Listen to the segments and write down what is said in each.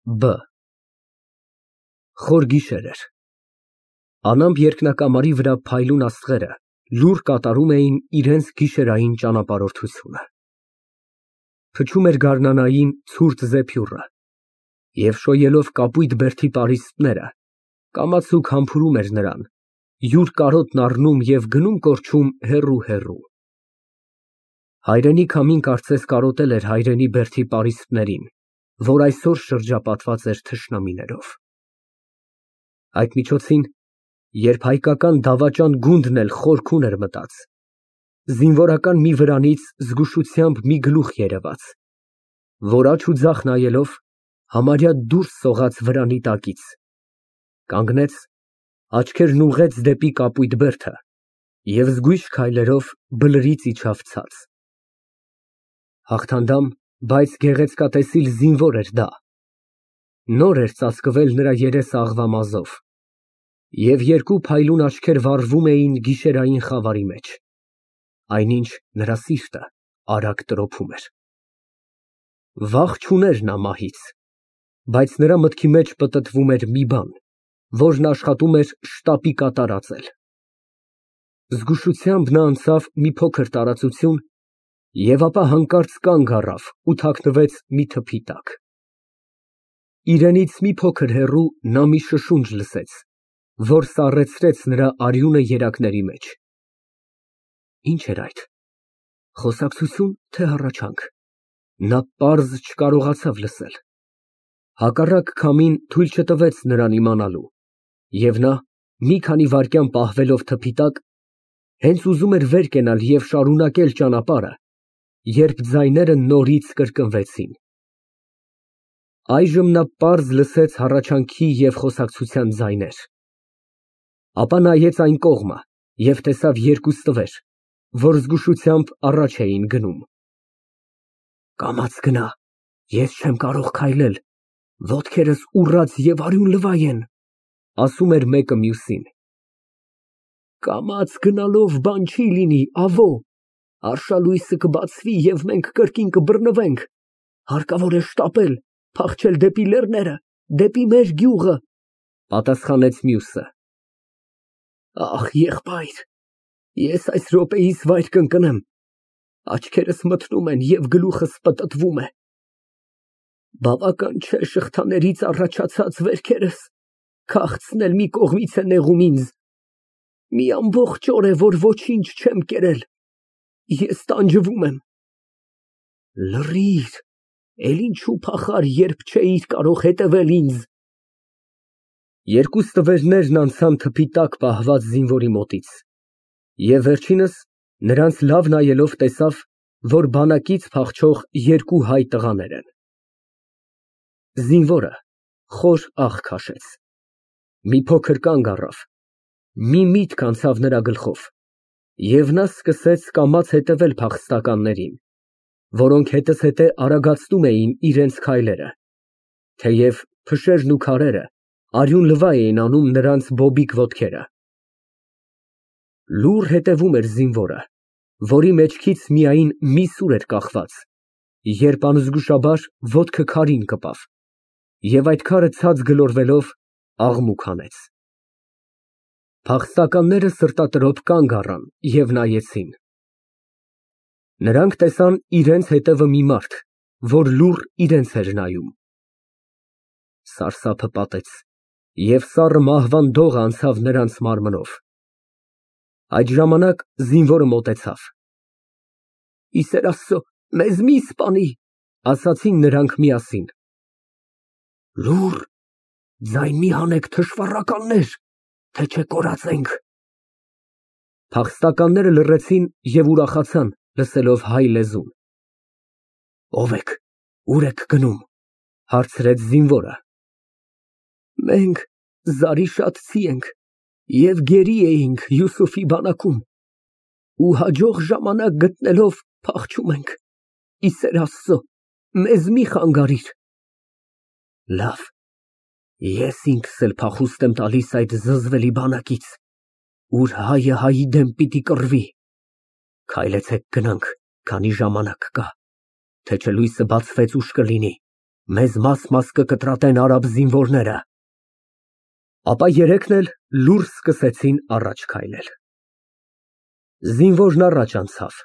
Բ Խոր գիշեր էր։ Անամպ երկնակամարի վրա փայլուն աստղերը լուռ կատարում էին իրենց գիշերային ճանապարհորդությունը։ Փչում էր գարնանային ցուրտ զեփյուռը, և շոյելով կապույտ բերդի պարիսպները, կամացուկ համբուրում էր նրան, յուր կարոտն առնում և գնում կորչում հեռու։ Հայրենի քամին կարծես կարոտել էր հայրենի բերդի պարիսպներին, որ այսօր շրջապատված էր թշնամիներով։ Այդ միջոցին, երբ հայկական դավաճան գունդն էլ խորքուն էր մտած, զինվորական մի վրանից զգուշությամբ մի գլուխ երևաց, որ աջ ու ձախ նայելով, համարյա դուրս սողաց վրանի տակից, կանգնեց, աչքերն ուղղեց դեպի կապույտ բերդը և զգույշ քայլերով բլրից իջավ ցած։ Հաղթանդամ, բայց գեղեցկատեսիլ զինվոր էր դա։ Նոր էր ծածկվել նրա երեսը աղվամազով, և երկու փայլուն աչքեր վառվում էին գիշերային խավարի մեջ, այնինչ նրա սիրտը արագ տրոփում էր։ Վախ չուներ նա մահից, բայց նրա մտքի մեջ պտտվում էր մի բան, որն աշխատում էր շտապի կատարածել։ Զգուշությամբ նա անցավ մի փոքր տարածություն և ապա հանկարծ կանգ առավ ու թաքնվեց մի թփի տակ։ Իրենից մի փոքր հեռու նա մի շշունջ լսեց, որ սառեցրեց նրա արյունը երակների մեջ։ Ինչ էր այդ, խոսակցությո՞ւն, թե հառաչանք, նա պարզ չկարողացավ լսել։ Հակառակ քամին թույլ չտվեց նրան իմանալու, և նա, մի քանի վայրկյան պահվելով թփի տակ, հենց ուզում էր վեր կենալ և շարունակել ճանապարհը, երբ ձայները նորից կրկնվեցին։ Այժմ նա պարզ լսեց հառաչանքի և խոսակցության ձայներ։ Ապա նայեց այն կողմը և տեսավ երկու ստվեր, որ զգուշությամբ առաջ էին գնում։ Կամաց գնա, ես չեմ կարող քայլել, ոտքերս ուռած և արյունլվայ են, ասում էր մեկը մյուսին։ Կամաց գնալով բան չի լինի, ավո, արշալույսը կբացվի և մենք կրկին կբռնվենք, հարկավոր է շտապել, փախչել դեպի լեռները, դեպի մեր գյուղը, պատասխանեց մյուսը։ Ախ, եղբայր, ես այս րոպեիս վայր կընկնեմ, աչքերս մթնում են և գլուխս պտտվում է։ Բավական չէ շղթաներից առաջացած վերքերս, քաղցն էլ մի կողմից է նեղում ինձ։ Մի ամբողջ օր է, որ ոչինչ չեմ կերել, ես տանջվում եմ։ Լռիր, էլ ինչու փախար, երբ չէիր կարող հետևել ինձ։ Երկու ստվերներն անցան թփի տակ պահված զինվորի մոտից, և վերջինս, նրանց լավ նայելով, տեսավ, որ բանակից փախչող երկու հայ տղաներ են։ Զինվորը խոր աղ քաշեց, մի փոքր կանգ առավ, մի միտք անցավ նրա գլխով, և նա սկսեց կամաց հետևել փախստականներին, որոնք հետզհետե արագացնում էին իրենց քայլերը, թեև փշերն ու քարերը արյունլվա էին անում նրանց բոբիկ ոտքերը։ Լուռ հետևում էր զինվորը, որի մեջքից միայն մի սուր էր կախված, երբ անզգուշաբար ոտքը քարին կպավ, և այդ քարը ցած գլորվելով աղմուկ հանեց։ Փախստականները սրտատրոփ կանգ առան և նայեցին։ Նրանք տեսան իրենց հետևը մի մարդ, որ լուռ իրենց էր նայում։ Սարսափը պատեց, և սառը մահվան դողը անցավ նրանց մարմնով։ Այդ ժամանակ զինվորը մոտեցավ։ Ի սեր Աստծո, մեզ մի սպանի, ասացին նրանք միասին։ Լուռ, ձայն մի հանեք, թշվառականներ, թե չէ կորածենք։ Փախստականները լռեցին և ուրախացան, լսելով հայ լեզուն։ Ո՞վ եք, ուր եք գնում, հարցրեց զինվորը։ Մենք Զարիշատցի ենք և գերի էինք Յուսուֆի բանակում ու հաջող ժամանակ գտնելով փախչում ենք, ի սեր Աստծո, մեզ մի խանգարիր։ Լավ, ես ինքս էլ փախուստ եմ տալիս այդ զզվելի բանակից, ուր հայը հայի դեմ պիտի կռվի։ Քայլեցեք գնանք, քանի ժամանակ կա, թե չէ լույսը բացվեց ուշ կլինի, մեզ մաս կկտրատեն արաբ զինվորները։ Ապա երեքն էլ լուռ սկսեցին առաջ քայլել։ Զինվորն առաջ անցավ,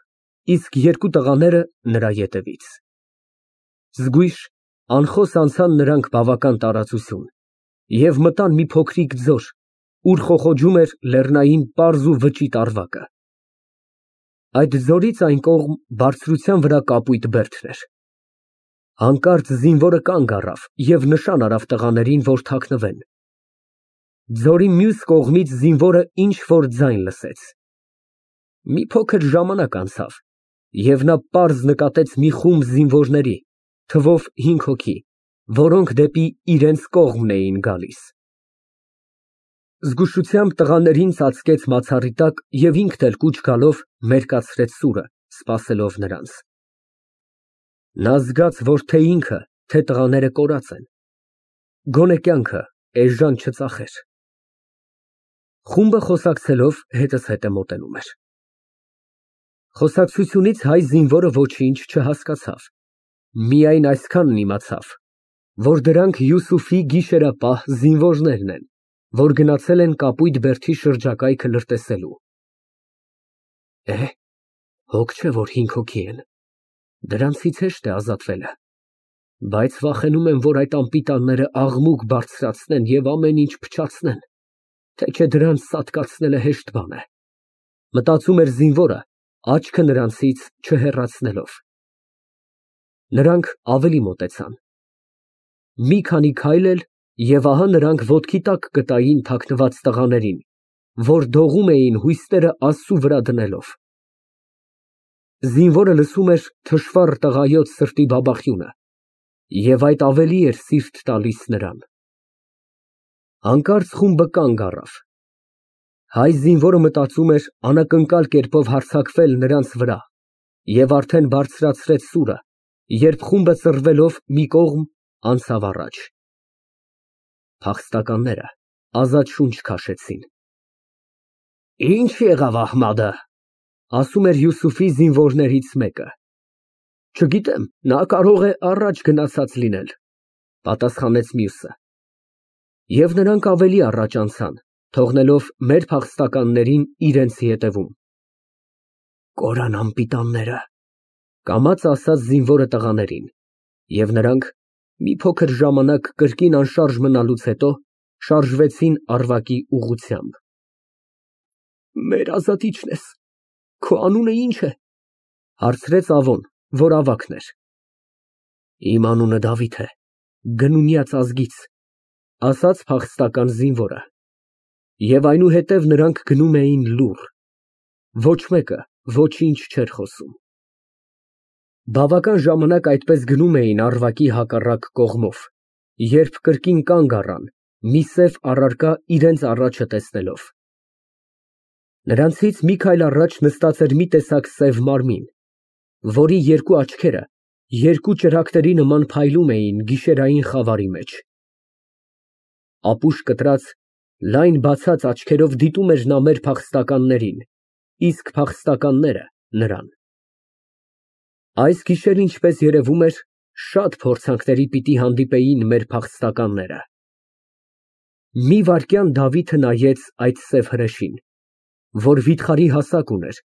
իսկ երկու տղաները նրա ետևից։ Զգույշ, անխոս անցան նրանք բավական տարածություն և մտան մի փոքրիկ ձոր, ուր խոխոջում էր լեռնային պարզ ու վճիտ ավարակը։ Այդ ձորից այն կողմ բարձրության վրա կապույտ բերդն էր։ Հանկարծ զինվորը կանգ առավ և նշան արավ տղաներին, որ թաքնվեն։ Ձորի մյուս կողմից զինվորը ինչ֊որ ձայն լսեց։ Մի փոքր ժամանակ անցավ, և նա պարզ նկատեց մի խումբ զինվորների, թվով 5 հոգի, որոնք դեպի իրենց կողմն էին գալիս։ Զգուշությամբ տղաներին ծածկեց մացառի տակ և ինքն էլ կուչ գալով մերկացրեց սուրը, սպասելով նրանց։ Նա զգաց, որ թե ինքը, թե տղաները կորած են։ Գոնե կյանքը էժան չծախեր։ Խումբը խոսակցելով հետզհետե մոտենում էր։ Խոսակցությունից հայ զինվորը ոչինչ չհասկացավ, միայն այսքանն իմացավ, որ դրանք Յուսուֆի գիշերապահ զինվորներն են, որ գնացել են կապույտ բերդի շրջակայքը լրտեսելու։ Հոգ չէ, որ 5 հոգի են, դրանցից հեշտ է ազատվելը, բայց վախենում եմ, որ այդ անպիտանները աղմուկ բարձրացնեն և ամեն ինչ փչացնեն, թե չէ դրանց սատկացնելը հեշտ բան է, մտածում էր զինվորը, աչքը նրանցից չհեռացնելով։ Նրանք ավելի մոտեցան։ Մի քանի քայլ էլ, և ահա նրանք ոտքի տակ գտային թաքնված տղաներին, որ դողում էին հույսները Աստծու վրա դնելով։ Զինվորը լսում էր թշվառ տղայոց սրտի բաբախյունը, և այդ ավելի էր սիրտ տալիս նրան։ Հանկարծ խումբը կանգ առավ։ Հայ զինվորը մտածում էր անակնկալ կերպով հարձակվել նրանց վրա և արդեն բարձրացրեց սուրը, երբ խումբը ծռվելով մի կողմ անցավ առաջ։ Փախստականները ազատ շունչ քաշեցին։ Ինչ եղավ Ահմադը, ասում էր Յուսուֆի զինվորներից մեկը։ Չգիտեմ, նա կարող է առաջ գնացած լինել, պատասխանեց մյուսը։ Եվ նրանք ավելի առաջ անցան, թողնելով մեր փախստականներին իրենց ետևում։ Կորան անպիտանները, կամաց ասաց զինվորը տղաներին, և նրանք մի փոքր ժամանակ կրկին անշարժ մնալուց հետո շարժվեցին Արվակի ուղղությամբ։ Մեր ազատիչն ես, քո անունը ի՞նչ է, հարցրեց Ավոն, որ ավագն էր։ Իմ անունը Դավիթ է, գնունյաց ազգից, ասաց փախստական զինվորը։ Եվ այնուհետև նրանք գնում էին լուռ, ոչ մեկը ոչինչ չէր խոսում։ Բավական ժամանակ այդպես գնում էին Արվակի հակառակ կողմով, երբ կրկին կանգ առան, մի սև առարկա իրենց առաջը տեսնելով։ Նրանցից մի քայլ առաջ նստած էր մի տեսակ սև մարմին, որի երկու աչքերը երկու ճրագների նման փայլում էին գիշերային խավարի մեջ։ Ապուշ կտրած, լայն բացած աչքերով դիտում էր նա մեր փախստականներին, իսկ փախստականները նրան։ Այս գիշեր, ինչպես երևում էր, շատ փորձանքների պիտի հանդիպեին մեր փախստականները։ Մի վայրկյան Դավիթը նայեց այդ սև հրեշին, որ վիթխարի հասակ ուներ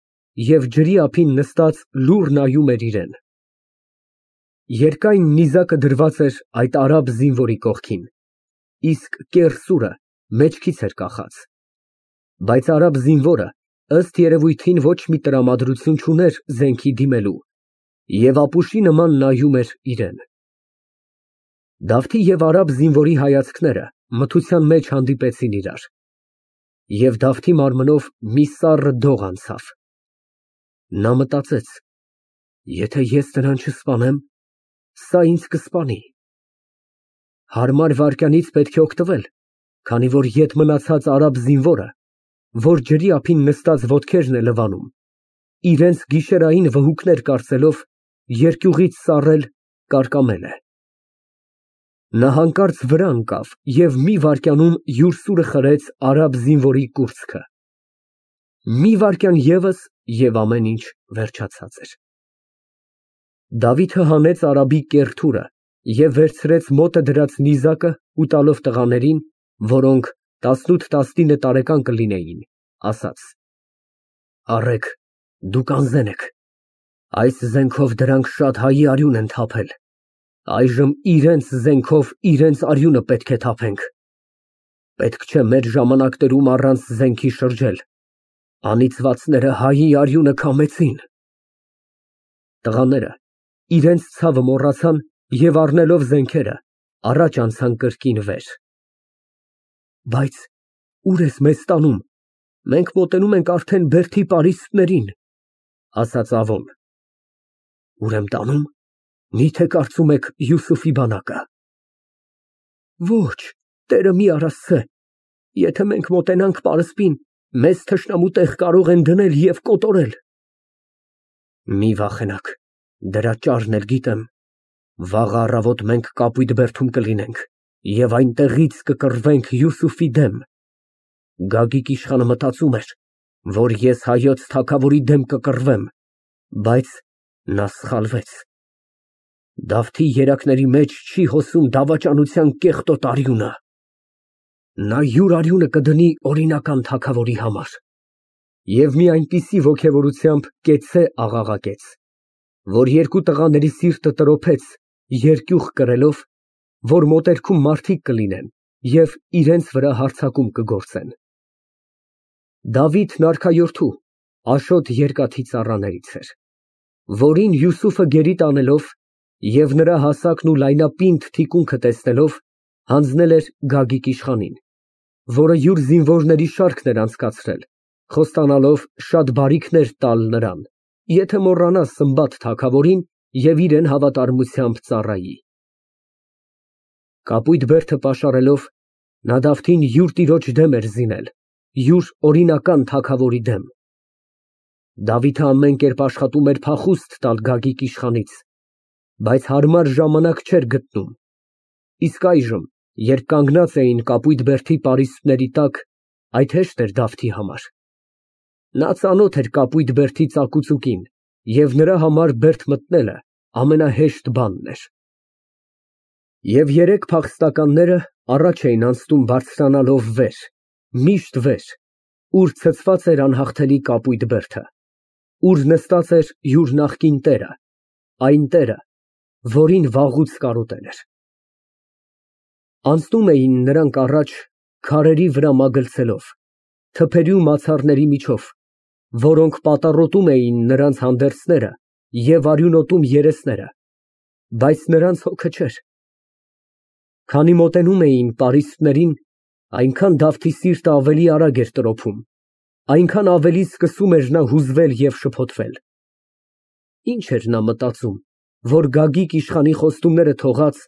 և ջրի ափին նստած լուռ նայում էր իրան։ Երկայն նիզակը դրված էր այդ արաբ զինվորի կողքին, իսկ կեռ սուրը մեջքից էր կախած, բայց արաբ զինվորը, ըստ երևույթին, ոչ մի տրամադրություն չուներ զենքի դիմելու և ապուշի նման նայում էր իրան։ Դավթի և արաբ զինվորի հայացքները մթության մեջ հանդիպեցին իրար, և Դավթի մարմնով մի սառը դող անցավ։ Նա մտածեց. եթե ես նրան չսպանեմ, սա ինձ կսպանի։ Հարմար վայրկյանից պետք է օգտվել, քանի որ ետ մնացած արաբ զինվորը, որ ջրի ափին նստած ոտքերն է լվանում, իրենց գիշերային վհուկներ կարծելով, երկյուղից սառել կարկամել է։ Նա հանկարծ վրա ընկավ և մի վայրկյանում յուր սուրը խրեց արաբ զինվորի կուրծքը։ Մի վայրկյան ևս, և ամեն ինչ վերջացած էր։ Դավիթը հանեց արաբի կեռ թուրը Եվ վերցրեց մոտը դրած նիզակը ու տալով տղաներին, որոնք 18-19 տարեկան կլինեին, ասաց. Առեք, դուք անզեն եք, այս զենքով դրանք շատ հայի արյուն են թափել, այժմ իրենց զենքով իրենց արյունը պետք է թափենք, պետք չէ մեր ժամանակներում առանց զենքի շրջել, անիծվածները հայի արյունը քամեցին։ Տղաները իրենց ցավը մոռացան և առնելով զենքերը, առաջ անցան կրկին վեր։ Բայց ուր ես մեզ տանում, մենք մոտենում ենք արդեն Բերդի պարիսպներին, ասաց Ավոն։ Ուր եմ տանում, միթե կարծում եք Յուսուֆի բանակը։ Ոչ, Տերը մի արասցե, եթե մենք մոտենանք պարսպին, մեզ թշնամու տեղ կարող են դնել և կոտորել։ Մի վախենաք, դրա ճարն էլ գիտեմ, վաղ առավոտ մենք Կապույտ Բերդում կլինենք և այնտեղից կկռվենք Յուսուֆի դեմ։ Գագիկ իշխանը մտածում էր, որ ես հայոց թագավորի դեմ կկռվեմ, բայց նա սխալվեց։ Դավթի երակների մեջ չի հոսում դավաճանության կեղտոտ արյունը։ Նա յուր արյունը կդնի օրինական թագավորի համար։ Եվ մի այնպիսի ոգևորությամբ կեցցե աղաղակեց, որ երկու տղաների սիրտը տրոփեց, երկյուղ կրելով, որ մոտերքում մարդիկ կլինեն և իրենց վրա հարձակում կգործեն։ Դավիթն արքայորդու, Աշոտ երկաթի ծառաներից էր, որին Յուսուֆը գերի տանելով և նրա հասակն ու լայնապինդ թիկունքը տեսնելով, հանձնել էր Գագիկ իշխանին, որը յուր զինվորների շարքն էր անցկացրել, խոստանալով շատ բարիքներ տալ նրան, եթե մոռանա Սմբատ թագավորին և իրեն հավատարմությամբ ծառայի։ Կապույտ Բերդը պաշարելով, նա Դավթին յուր տիրոջ դեմ էր զինել, յուր օրինական թագավորի դեմ։ Դավիթը ամեն կերպ աշխատում էր փախուստ տալ Գագիկ իշխանից, բայց հարմար ժամանակ չէր գտնում, իսկ այժմ, երբ կանգնած էին Կապույտ Բերդի պարիսպների տակ, այդ հեշտ էր Դավթի համար։ Նա ծանոթ էր Կապույտ Բերդի ծակուցուկին և նրա համար Բերդ մտնելը ամենահեշտ բանն էր։ Եվ երեք փախստականները առաջ էին անցնում բարձրանալով վեր, միշտ վեր, ուր ցցված էր անհաղթելի Կապույտ Բերդը, ուր նստած էր յուր նախկին տերը, այն տերը, որին վաղուց կարոտել էր։ Անցնում էին նրանք առաջ քարերի վրա մագլցելով, թփերի ու մացառների միջով, որոնք պատառոտում էին նրանց հանդերձները և արյունոտում երեսները, բայց նրանց հոգը չէր։ Քանի մոտենում էին պարիսպներին, այնքան Դավթի սիրտը ավելի արագ էր տրոփում, այնքան ավելի սկսում էր նա հուզվել և շփոթվել։ Ինչ էր նա մտածում, որ Գագիկ իշխանի խոստումները թողած,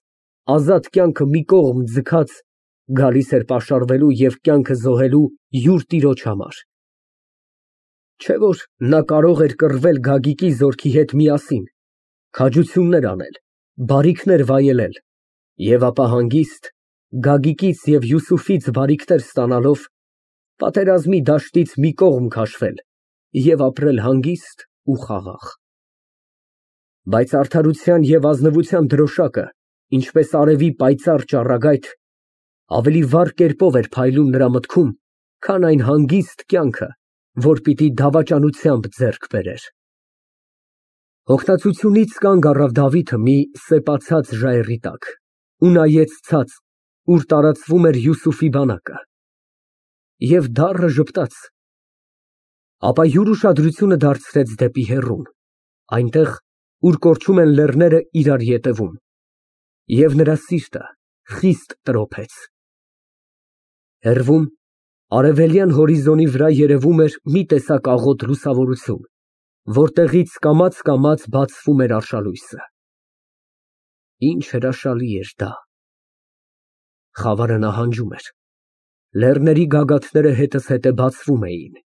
ազատ կյանքը մի կողմ ձգած, գալիս էր պաշարվելու և կյանքը զոհելու յուր տիրոջ համար։ Չէ՞ որ նա կարող էր կռվել Գագիկի զորքի հետ միասին, քաջություններ անել, բարիքներ վայելել և ապա հանգիստ, Գագիկից և Յուսուֆից բարիքներ ստանալով, պատերազմի դաշտից մի կողմ քաշվել և ապրել հանգիստ ու խաղաղ։ Բայց արդարության և ազնվության դրոշակը, ինչպես արևի պայծառ ճառագայթ, ավելի վառ կերպով էր փայլում նրա մտքում, քան այն հանգիստ կյանքը, որ պիտի դավաճանությամբ ձեռք բերեր։ Հոգնածությունից կանգ առավ Դավիթը մի սեպացած ժայռի տակ ու նայեց ցած, ուր տարածվում էր Յուսուֆի բանակը, և դառը ժպտաց, ապա յուր ուշադրությունը դարձրեց դեպի հեռուն, այնտեղ, ուր կորչում են լեռները իրար ետևում, և նրա սիրտը խիստ տրոփեց։ Հեռվում, արևելյան հորիզոնի վրա երևում էր մի տեսակ աղոտ լուսավորություն, որտեղից կամաց բացվում էր արշալույսը։ Ինչ հրաշալի էր դա։ Խավարը նահանջում էր, լեռների գագաթները հետզհետե բացվում էին։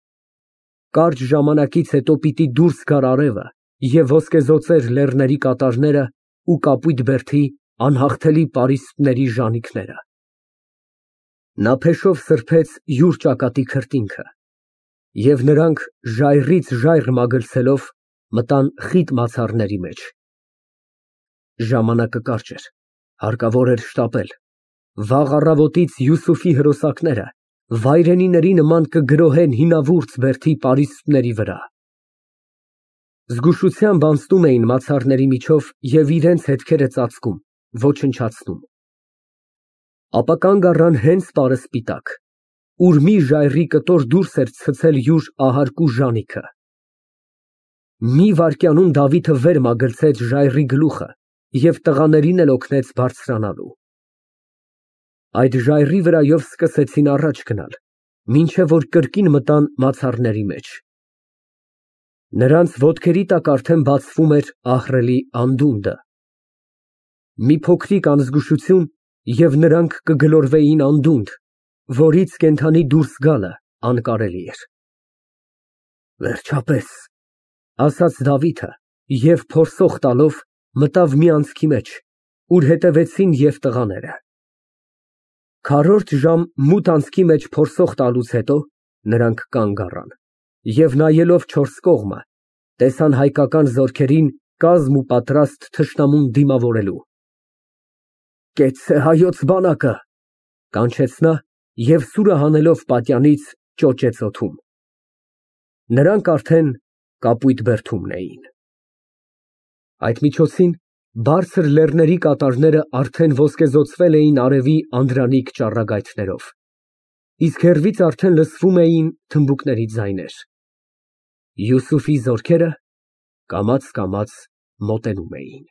Կարճ ժամանակից հետո պիտի դուրս գար արևը և ոսկեզօծեր լեռների կատարները ու Կապույտ Բերդի անհաղթելի պարիսպների ժանիքները։ Նա փեշով սրբեց յուր ճակատի քրտինքը, և նրանք ժայռից ժայռ մագլցելով մտան խիտ մացառների մեջ։ Ժամանակը կարճ էր, Հարկավոր էր շտապել։ Վաղ առավոտից Յուսուֆի հրոսակները վայրենիների նման կգրոհեն հինավուրց բերդի պարիսպների վրա։ Զգուշությամբ անցնում էին մացառների միջով և իրենց հետքերը ծածկում, ոչնչացնում։ Ապա կանգ առան հենց պարսպիտակ, ուր մի ժայռի կտոր դուրս էր ցցել յուր ահարկու ժանիքը։ Մի վայրկյանում Դավիթը վեր մագլցեց ժայռի գլուխը և տղաներին էլ օգնեց բարձրանալու։ Այդ ժայռի վրայով սկսեցին առաջ գնալ, մինչև որ կրկին մտան մացառների մեջ։ Նրանց ոտքերի տակ արդեն բացվում էր ահռելի անդունդը։ Մի փոքրիկ անզգուշություն, և նրանք կգլորվեին անդունդ, որից կենդանի դուրս գալը անկարելի էր։ Վերջապես, ասաց Դավիթը և փորսող տալով մտավ մի անցքի մեջ, ուր հետևեցին և տղաները։ Քառորդ ժամ մութ անցքի մեջ փորսող տալուց հետո նրանք կանգ առան և նայելով չորս կողմը, տեսան հայկական զորքերին կազմ ու պատրաստ թշնամուն դիմավորելու։ Կեցցե հայոց բանակը, կանչեց նա և սուրը հանելով պատյանից ճոճեց օդում։ Նրանք արդեն կապույտ բերդումն էին։ Այդ միջոցին բարձր լեռների կատարները արդեն ոսկեզօծվել էին արևի անդրանիկ ճառագայթներով, իսկ հեռվից արդեն լսվում էին թմբուկների ձայներ։ Յուսուֆի զորքերը կամաց֊կամաց մոտենում էին։